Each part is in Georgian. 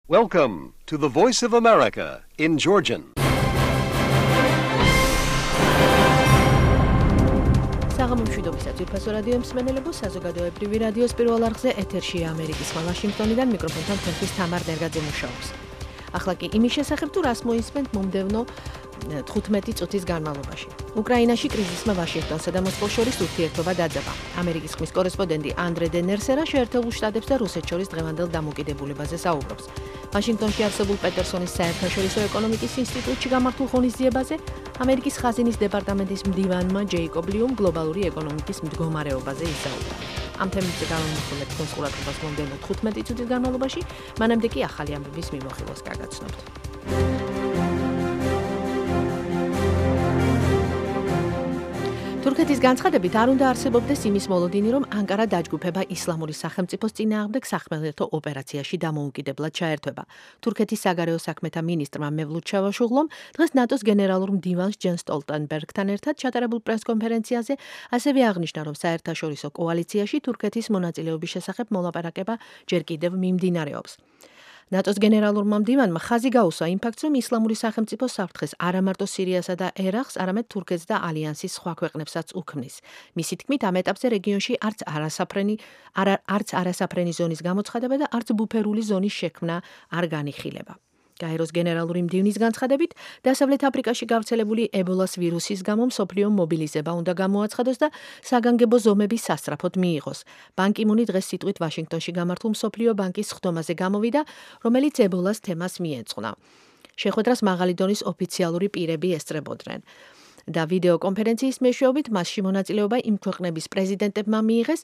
Welcome to the Voice of America in Georgian. საღამომშვიდობისას ძვირფასო რადიო მსმენელებო, საზოგადოებრივი რადიოს პირველ არხზე ეთერშია ამერიკის ხმა ვაშინგტონიდან მიკროფონთან თქვენთვის თამარ ნერგაძე მუშაობს. ახლა კი იმის შესახებ თუ რას მოისმენთ მომდევნო 15 წუთის განმავლობაში. უკრაინაში კრიზისმა ვაშინგტონსა და მოსკოვს შორის ურთიერთობა დაძაბა. ამერიკის ხმის კორესპონდენტი ანდრე დე ნერსერა შეერთებულ შტატებს და რუსეთს შორის დღევანდელ დამოკიდებულებაზე საუბრობს. ვაშინგტონში არსებულ პეტერსონის საერთაშორისო ეკონომიკის ინსტიტუტში გამართულ ღონისძიებაზე ამერიკის ხაზინის დეპარტამენტის მდივანმა ჯეიკობ ლიუმ გლობალური ეკონომიკის მდგომარეობაზე ისაუბრა. ამ თემებზე გამომხილეთ თქვენს ყურადღებას მომდევნო 15 წუთის განმავლობაში, მანამდე კი ახალი ამბების მიმოხილვას გაგაცნობთ. თურქეთის განცხადებით არ უნდა არსებობდეს იმის მოლოდინი, რომ ანკარა დაჯგუფება ისლამური სახელმწიფოს წინააღმდეგ სახმელეთო ოპერაციაში დამოუკიდებლად ჩაერთვება. თურქეთის საგარეო საქმეთა მინისტრმა მევლութ ჩავაშუღლომ დღეს ნატოს გენერალურ მდივანს ჯენ სტოლტენბერგთან ერთად ჩატარებულ პრესკონფერენციაზე ასევე აღნიშნა, რომ საერთაშორისო კოალიციაში თურქეთის მონაწილეობის შესახებ მოლაპარაკება ჯერ კიდევ მიმდინარეობს. ნატოს გენერალურმა მდივანმა ხაზი გაუსვა იმ ფაქტს, რომ ისლამური სახელმწიფო საფრთხეს არა მარტო სირიასა და ერაყს, არამედ თურქეთს და ალიანსის სხვა ქვეყნებსაც უქმნის. მისი თქმით, ამ ეტაპზე რეგიონში არც არასაფრენი ზონის გამოცხადება და არც ბუფერული ზონის შექმნა არ განიხილება. გაეროს გენერალური მდივნის განცხადებით, დასავლეთ აფრიკაში გავრცელებული ებოლას ვირუსის გამო მსოფლიო მობილიზება უნდა გამოაცხადოს და საგანგებო ზომები სასწრაფოდ მიიღოს. ბან კი მუნი დღეს სიტყვით ვაშინგტონში გამართულ მსოფლიო ბანკის სხდომაზე გამოვიდა, რომელიც ებოლას თემას მიეძღვნა. შეხვედრას მაღალი დონის ოფიციალური პირები ესწრებოდნენ. და ვიდეო კონფერენციის მეშვეობით მასში მონაწილეობა იმ ქვეყნების პრეზიდენტებმა მიიღეს,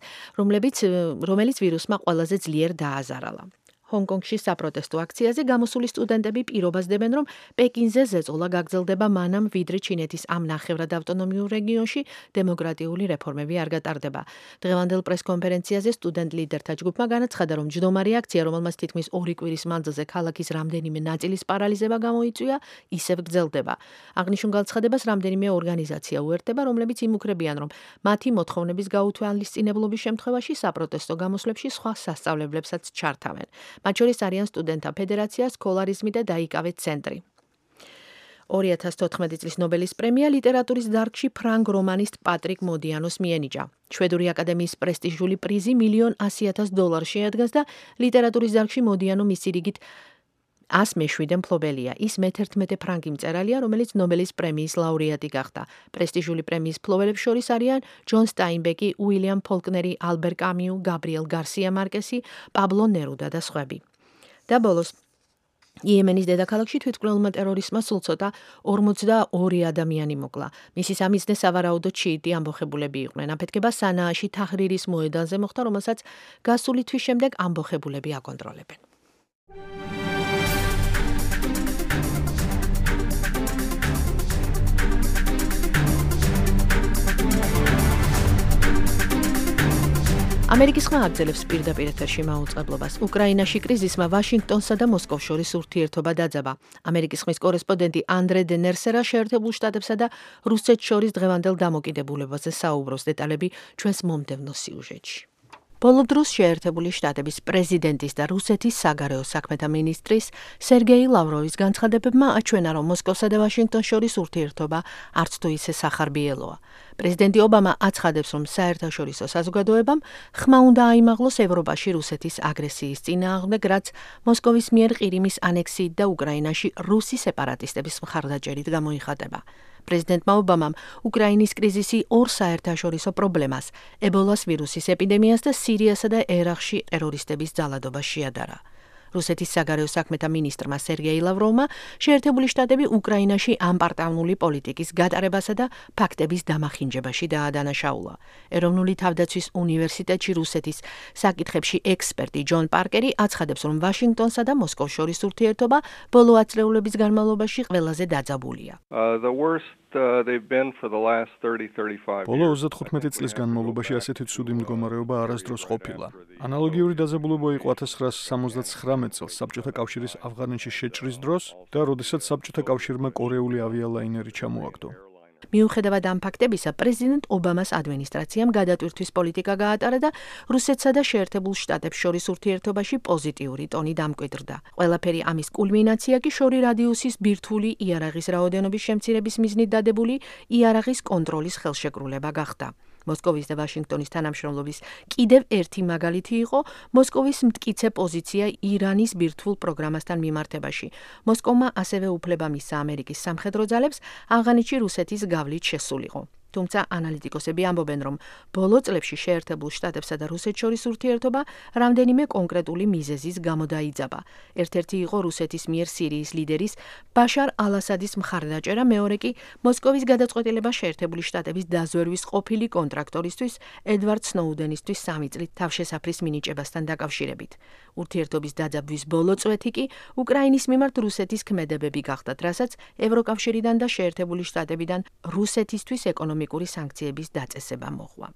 რომელიც ვირუსმა ყველაზე ძლიერ დააზარალა. ჰონგ-კონგში საპროტესტო აქციაზე გამოსული სტუდენტები პირობას დებენ, რომ პეკინზე ზეწოლა გაგრძელდება მანამ, ვიდრე ჩინეთის ამ ნახევრად ავტონომიურ რეგიონში დემოკრატიული რეფორმები არ გატარდება. დღევანდელ პრესკონფერენციაზე სტუდენტ ლიდერთა ჯგუფმა განაცხადა, რომ ჯდომარი აქცია, რომელმაც თითქმის 2 კვირის მანძილზე ქალაქის რამდენიმე ნაწილის პარალიზება გამოიწვია, ისევ გრძელდება. აღნიშნულ განცხადებას რამდენიმე ორგანიზაცია უერთდება, რომლებიც იმუქრებიან, რომ მათი მოთხოვნების გაუთვალისწინებლობის შემთხვევაში საპროტესტო გამოსვლებში სხვა სასწავლებლებსაც ჩართავენ. მათ შორის არიან სტუდენტთა ფედერაცია, სკოლარიზმი და დაიკავე ცენტრი. 2014 წლის ნობელის პრემია ლიტერატურის დარგში ფრანგ რომანისტ პატრიკ მოდიანოს მიენიჭა. შვედური აკადემიის პრესტიჟული პრიზი $1,100,000 შეადგენს და ლიტერატურის დარგში მოდიანო მისი რიგით 107 მფლობელია. ის მე-11 ფრანგი მწერალია, რომელიც ნობელის პრემიის ლაურეატი გახდა. პრესტიჟული პრემიის მფლობელებს შორის არიან ჯონ სტაინბეკი, უილიამ ფოლკნერი, ალბერ კამიუ, გაბრიელ გარსია მარკესი, პაბლო ნერუდა და სხვები. და ბოლოს იემენის დედაქალაქში თვითმკვლელმა ტერორიზმმა სულ ცოტა 42 ადამიანი მოკლა. მისი სამიზნე სავარაუდოდ შიიტი ამბოხებულები იყვნენ. აფეთქება სანააში თაჰრირის მოედანზე მოხდა, რომელსაც გასული თვის შემდეგ ამბოხებულები აკონტროლებენ. ამერიკის ხმა აგრძელებს პირდაპირ ეთერში მაუწყებლობას. უკრაინაში კრიზისმა ვაშინგტონსა და მოსკოვს შორის ურთიერთობა დაძაბა. ამერიკის ხმის კორესპონდენტი ანდრე დე ნერსერა შეერთებულ შტატებსა და რუსეთს შორის დღევანდელ დამოკიდებულებაზე საუბრობს. დეტალები ჩვენს მომდევნო სიუჟეტში. ბოლო დროს შეერთებული შტატების პრეზიდენტის და რუსეთის საგარეო საქმეთა მინისტრის სერგეი ლავროვის განცხადებებმა აჩვენა, რომ მოსკოვსა და ვაშინგტონს შორის ურთიერთობა არც თუ ისე სახარბიელოა. პრეზიდენტი ობამა აცხადებს, რომ საერთაშორისო საზოგადოებამ ხმა უნდა აიმაღლოს ევროპაში რუსეთის აგრესიის წინააღმდეგ, რაც მოსკოვის მიერ ყირიმის ანექსიით და უკრაინაში რუსი სეპარატისტების მხარდაჭერით გამოიხატება. პრეზიდენტმა ობამამ უკრაინის კრიზისი ორ საერთაშორისო პრობლემას, ებოლას ვირუსის ეპიდემიას და სირიასა და ერაყში ტერორისტების ძალადობას შეადარა. რუსეთის საგარეო საქმეთა მინისტრმა სერგეი ლავროვმა შეერთებული შტატები უკრაინაში ამპარტავნული პოლიტიკის გატარებასა და ფაქტების დამახინჯებაში დაადანაშაულა. ეროვნული თავდაცვის უნივერსიტეტში რუსეთის საკითხებში ექსპერტი ჯონ პარკერი აცხადებს, რომ ვაშინგტონსა და მოსკოვს შორის ურთიერთობა ბოლო ათწლეულების განმავლობაში ყველაზე დაძაბულია. ბოლო 35 წლის განმავლობაში ასეთი ცუდი მდგომარეობა არასდროს ყოფილა. ანალოგიური დაძაბულობა იყო 1979 წელს საბჭოთა კავშირის ავღანეთში შეჭრის დროს და როდესაც საბჭოთა კავშირმა კორეული ავიალაინერი ჩამოაგდო. მიუხედავად ამ ფაქტებისა, პრეზიდენტ ობამას ადმინისტრაციამ გადატვირთვის პოლიტიკა გაატარა და რუსეთსა და შეერთებულ შტატებს შორის ურთიერთობაში პოზიტიური ტონი დამკვიდრდა. ყველაფერი ამის კულმინაცია კი შორი რადიუსის ბირთვული იარაღის რაოდენობის შემცირების მიზნით დადებული იარაღის კონტროლის ხელშეკრულება გახდა. მოსკოვის და ვაშინგტონის თანამშრომლობის კიდევ ერთი მაგალითი იყო მოსკოვის მტკიცე პოზიცია ირანის ბირთვულ პროგრამასთან მიმართებაში. მოსკოვმა ასევე უფლება მისცა ამერიკის სამხედრო ძალებს ავღანეთში რუსეთის გავლით შესულიყო. თუმცა ანალიტიკოსები ამბობენ, რომ ბოლო წლებში შეერთებულ შტატებსა და რუსეთს შორის ურთიერთობა რამდენიმე კონკრეტული მიზეზის გამო დაიძაბა. ერთ-ერთი იყო რუსეთის მიერ სირიის ლიდერის ბაშარ ალ-ასადის მხარდაჭერა, მეორე კი მოსკოვის გადაწყვეტილება შეერთებული შტატების დაზვერვის ყოფილი კონტრაქტორისთვის ედვარდ სნოუდენისთვის 3 წლით თავშესაფრის მინიჭებასთან დაკავშირებით. ურთიერთობის დაძაბვის ბოლო წვეთი კი უკრაინის მიმართ რუსეთის ქმედებები გახდათ, რასაც ევროკავშირიდან და შეერთებული შტატებიდან რუსეთისთვის ეკონომიკური სანქციების დაწესება მოჰყვა.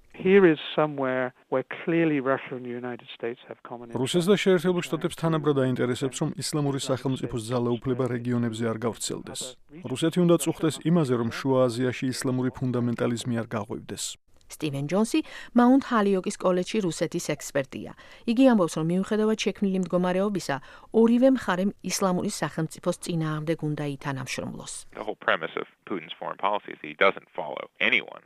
რუსეთს და შეერთებულ შტატებს თანაბრად აინტერესებს, რომ ისლამური სახელმწიფოს ძალაუფლება რეგიონებზე არ გავრცელდეს. რუსეთი უნდა წუხდეს იმაზე, რომ შუა აზიაში ისლამური ფუნდამენტალიზმი არ გაღვივდეს. სტივენ ჯონსი მაუნთ ჰალიოკის კოლეჯში რუსეთის ექსპერტია. იგი ამბობს, რომ მიუხედავად შექმნილი მდგომარეობისა, ორივე მხარემ ისლამური სახელმწიფოს წინააღმდეგ უნდა ითანამშრომლოს.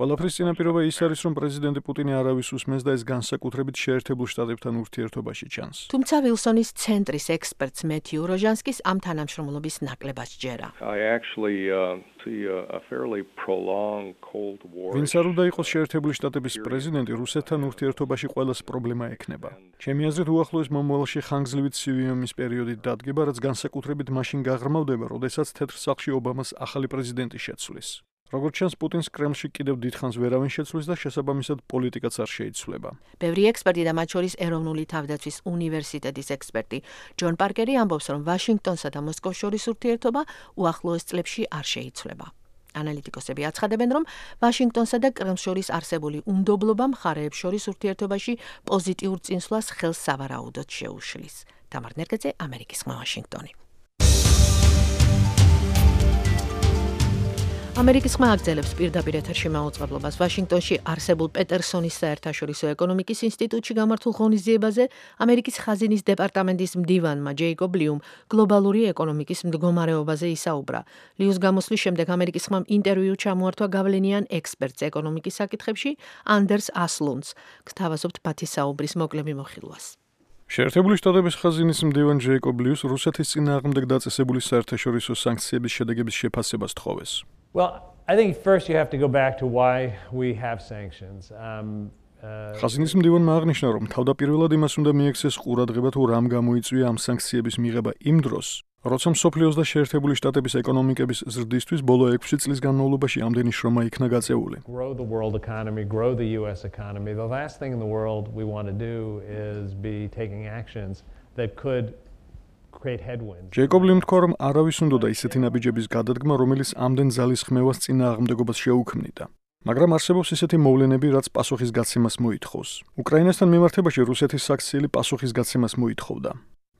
ყველაფრის წინაპირობა ის არის, რომ პრეზიდენტი პუტინი არავის უსმენს და ეს განსაკუთრებით შეერთებულ შტატებთან ურთიერთობაში ჩანს. თუმცა ვილსონის ცენტრის ექსპერტს მეთიუ როჟანსკის ამ თანამშრომლობის ნაკლებად ჯერა. ვინც არ უნდა იყოს შეერთებული შტატების პრეზიდენტი, რუსეთთან ურთიერთობაში ყველას პრობლემა ექნება. ჩემი აზრით, უახლოეს მომავალში ხანგრძლივი ცივი ომის პერიოდი დადგება, რაც განსაკუთრებით მაშინ გაღრმავდება, როდესაც თეთრ სახლში ობამას ახალი პრეზიდენტი შეცვლის. როგორც ჩანს, პუტინს კრემლში კიდევ დიდხანს ვერავინ შეცვლის და შესაბამისად პოლიტიკაც არ შეიცვლება. ბევრი ექსპერტი და მათ შორის ეროვნული თავდაცვის უნივერსიტეტის ექსპერტი ჯონ პარკერი ამბობს, რომ ვაშინგტონსა და მოსკოვს შორის ურთიერთობა უახლოეს წლებში არ შეიცვლება. ანალიტიკოსები აცხადებენ, რომ ვაშინგტონსა და კრემლს შორის არსებული უნდობლობა მხარეებს შორის ურთიერთობაში პოზიტიურ წინსვლას ხელს სავარაუდოდ შეუშლის. თამარ ნერგაძე, ამერიკის ხმა, ვაშინგტონი. ამერიკის ხმა აგრძელებს პირდაპირ ეთერში მაუწყებლობას ვაშინგტონში არსებულ პეტერსონის საერთაშორისო ეკონომიკის ინსტიტუტში გამართულ ღონისძიებაზე ამერიკის ხაზინის დეპარტამენტის მდივანმა ჯეიკობ ლიუმ გლობალური ეკონომიკის მდგომარეობაზე ისაუბრა. ლიუს გამოსვლის შემდეგ ამერიკის ხმამ ინტერვიუ ჩამოართვა გავლენიან ექსპერტს ეკონომიკის საკითხებში ანდერს ასლუნდს. გთავაზობთ პათისაუბრის მოკლე მიმოხილვას. შეერთებული შტატების ხაზინის მდივან ჯეიკობ ლიუს რუსეთის წინააღმდეგ დაწესებული საერთაშორისო სანქციების შედეგების შეფასებას თხოვეს. Well, I think first you have to go back to why we have sanctions. ხაზინის მდივანმა აღნიშნა, რომ თავდაპირველად იმას უნდა მიექცეს ყურადღება თუ რამ გამოიწვია ამ სანქციების მიღება იმ დროს, როცა მსოფლიოს და შეერთებული შტატების ეკონომიკების ზრდისთვის ბოლო 6 წლის განმავლობაში ამდენი შრომა იქნა გაწეული. Grow the world economy, grow the US economy. The last thing in the world we want to do is be taking actions that could ჯეიკობ ლიმ თქვა, რომ არავის უნდოდა ისეთი ნაბიჯების გადადგმა, რომელიც ამდენ ძალის ხმევას წინააღმდეგობას შეუქმნიდა. მაგრამ არსებობს ისეთი მოვლენები, რაც პასუხის გაცემას მოითხოვს. უკრაინასთან მიმართებაში რუსეთის საქციელი პასუხის გაცემას მოითხოვდა.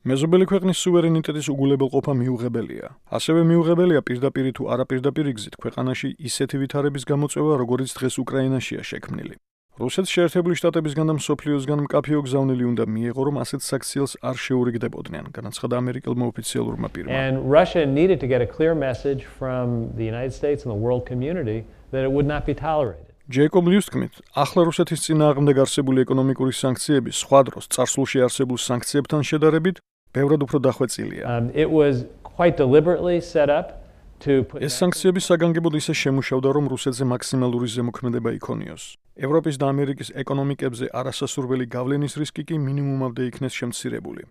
მეზობელი ქვეყნის სუვერენიტეტის უგულებელყოფა მიუღებელია. ასევე მიუღებელია პირდაპირ თუ არაპირდაპირ გზით ქვეყანაში ისეთი ვითარების გამოწვევა, როგორიც დღეს უკრაინაშია შექმნილი. რუსეთს შეერთებული შტატებისგან და მსოფლიოსგან მკაფიო გზავნილი უნდა მიეღო, რომ ასეთ საქციელს არ შეურიგდებოდნენ, განაცხადა ამერიკელმა ოფიციალურმა პირმა. And Russia needed to get a clear message from the United States and the world community that it would not be tolerated. ჯეიკობ ლიუს თქმით, ახლა რუსეთის წინააღმდეგ არსებული ეკონომიკური სანქციები სხვა დროს წარსულში არსებულ სანქციებთან შედარებით ბევრად უფრო დახვეწილია. It was quite deliberately set up to put ეს სანქციები საგანგებოდ ისე შემუშავდა, რომ რუსეთზე მაქსიმალური ზემოქმედება იქონიოს. ევროპის და ამერიკის ეკონომიკებზე არასასურველი გავლენის რისკი კი მინიმუმამდე იქნეს შემცირებული.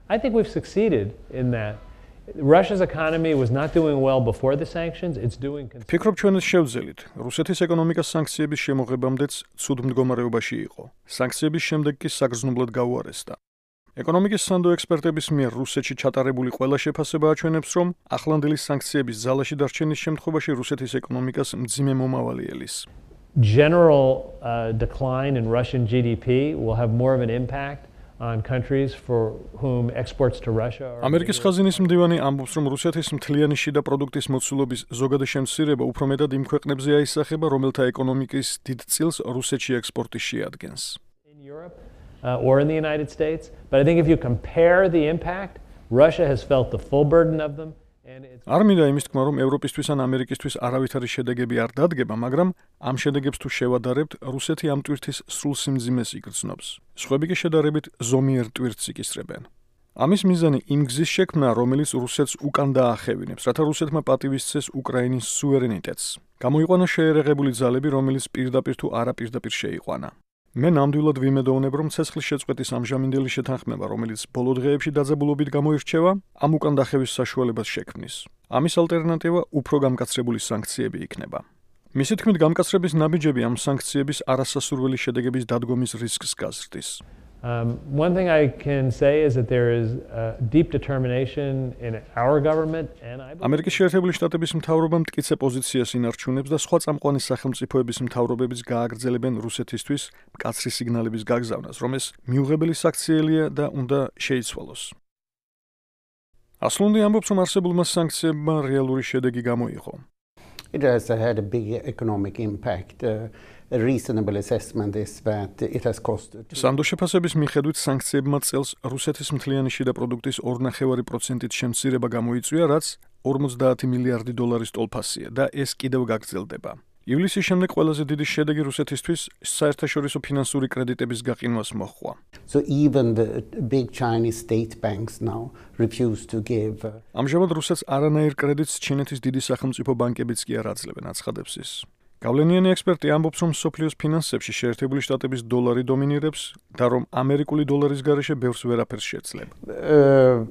I think we've succeeded in that. Russia's economy was not doing well before the sanctions. It's doing ფიქრობ ჩვენ ეს შევძელით. რუსეთის ეკონომიკა სანქციების შემოღებამდეც ცუდ მდგომარეობაში იყო. სანქციების შემდეგ კი საგრძნობლად გაუარესდა. ეკონომიკის სანდო ექსპერტების მიერ რუსეთში ჩატარებული ყველა შეფასება აჩვენებს, რომ ახლანდელი სანქციების ძალაში დარჩენის შემთხვევაში რუსეთის ეკონომიკას მძიმე მომავალი ელის. General decline in Russian GDP will have more of an impact on countries for whom exports to Russia are ამერიკის ხაზინის მდივანი ამბობს, რომ რუსეთის მთლიანი შიდა პროდუქტის მოცულობის ზოგადი შემცირება უფრო მეტად იმ ქვეყნებზე აისახება, რომელთა ეკონომიკის დიდ წილს რუსეთში ექსპორტი შეადგენს. in Europe or in the United States, but I think if you compare the impact, Russia has felt the full burden of them. არ მინდა იმის თქმა, რომ ევროპისთვის ან ამერიკისთვის არავითარი შედეგები არ დადგება, მაგრამ ამ შედეგებს თუ შევადარებთ, რუსეთი ამ ტვირთის სრულ სიმძიმეს იგრძნობს. სხვები კი შედარებით ზომიერ ტვირთს იკისრებენ. ამის მიზანი იმ გზის შექმნა, რომელიც რუსეთს უკან დაახევინებს, რათა რუსეთმა პატივისცეს უკრაინის სუვერენიტეტს. გამოიყვანა შეერაღებული ძალები, რომელიც პირდაპირ თუ არაპირდაპირ შეიყვანა. მე ნამდვილად ვიმედოვნებ, რომ ცეცხლის შეწყვეტის ამჟამინდელი შეთანხმება, რომელიც ბოლო დღეებში დაძაბულობით გამოირჩევა, ამ უკან დახევის საშუალებას შექმნის. ამის ალტერნატივა უფრო გამკაცრებული სანქციები იქნება. მისი თქმით, გამკაცრების ნაბიჯები ამ სანქციების არასასურველი შედეგების დადგომის რისკს გაზრდის. One thing I can say is that there is deep determination in our government and I believe ამერიკის შეერთებული შტატების მთავრობა მტკიცე პოზიციას ინარჩუნებს და სხვა წამყვანი სახელმწიფოების მთავრობების გააგრძელებენ რუსეთისთვის მკაცრი სიგნალების გაგზავნას, რომ ეს მიუღებელი საქციელია და უნდა შეიცვალოს. ასლუნდი ამბობს, რომ არსებულმა სანქციებმა რეალური შედეგი გამოიღო. It has had a big economic impact. A reasonable assessment is that it has costed. სანდო შეფასების მიხედვით სანქციებმა წელს რუსეთის მთლიანი შიდა პროდუქტის 2.5%-ით შემცირება გამოიწვია, რაც 50 მილიარდი დოლარის ტოლფასია და ეს კიდევ გაგრძელდება. ივლისის შემდეგ ყველაზე დიდი შედეგი რუსეთისთვის საერთაშორისო ფინანსური კრედიტების გაყინვას მოჰყვა. So even the big Chinese state banks now refuse to give. ამჟამად რუსეთს არანაირ კრედიტს ჩინეთის დიდი სახელმწიფო ბანკებიც კი არ აძლევენ, აცხადებს ის. გავლენიანი ექსპერტი ამბობს, რომ მსოფლიოს ფინანსებში შეერთებული შტატების დოლარი დომინირებს და რომ ამერიკული დოლარის გარეშე ბევრს ვერაფერს შეძლება.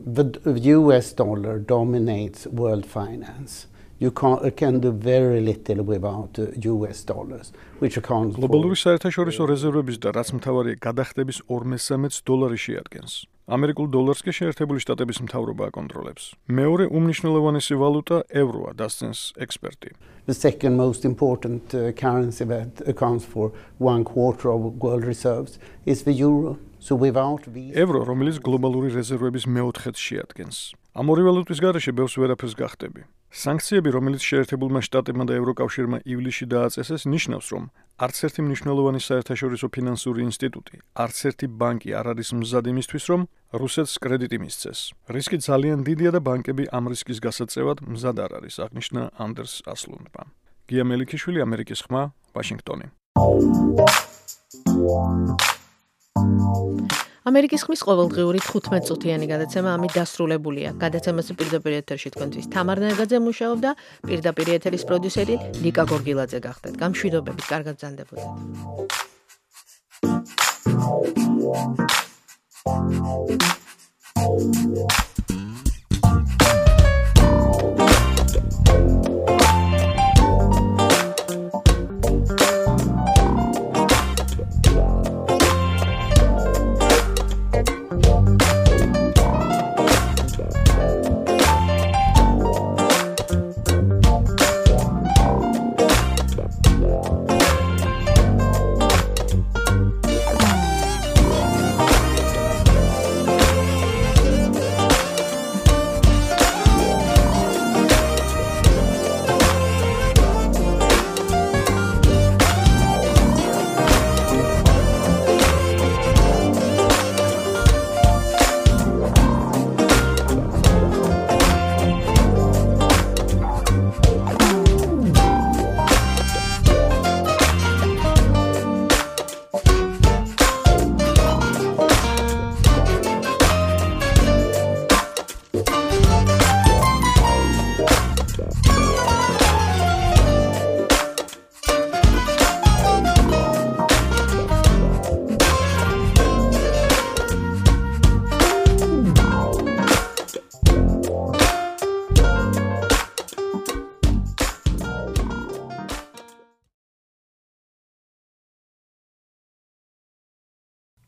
The US dollar dominates world finance. You can do very little without US dollars, which accounts for გლობალური საერთაშორისო რეზერვების და რაც მთავარია გადახდების 2/3-ს დოლარი შეადგენს. ამერიკულ დოლარს კი შეერთებული შტატების მთავრობა აკონტროლებს. მეორე უმნიშვნელოვანესი ვალუტა ევროა, დასცენს ექსპერტი. The second most important currency that accounts for 1/4 of world reserves is the euro. So without these ევრო, რომელიც გლობალური რეზერვების მეოთხედს შეადგენს. ამ ორი ვალუტის გარეშე ბევრს ვერაფერს გახდები. სანქციები, რომელიც შეერთებულმა შტატებმა და ევროკავშირმა ივლისში დააწესეს, ნიშნავს, რომ არც ერთი მნიშვნელოვანი საერთაშორისო ფინანსური ინსტიტუტი, არც ერთი ბანკი არ არის მზად იმისთვის, რომ რუსეთს კრედიტი მისცეს. რისკი ძალიან დიდია და ბანკები ამ რისკის გასაწევად მზად არ არის, აღნიშნა ანდერს ასლუნდმა. გია მელიქიშვილი, ამერიკის ხმა, ვაშინგტონი. ამერიკის ხმის ყოველდღიური 15 წუთიანი გადაცემა ამით დასრულებულია. გადაცემას პირდაპირ ეთერში თქვენთვის თამარ ნაგაძე მუშაობდა, პირდაპირ ეთერის პროდიუსერი ნიკა გორგილაძე გახდათ. გამშვიდობებით, კარგად ბრძანდებოდეთ.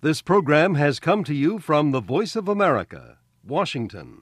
This program has come to you from the Voice of America, Washington.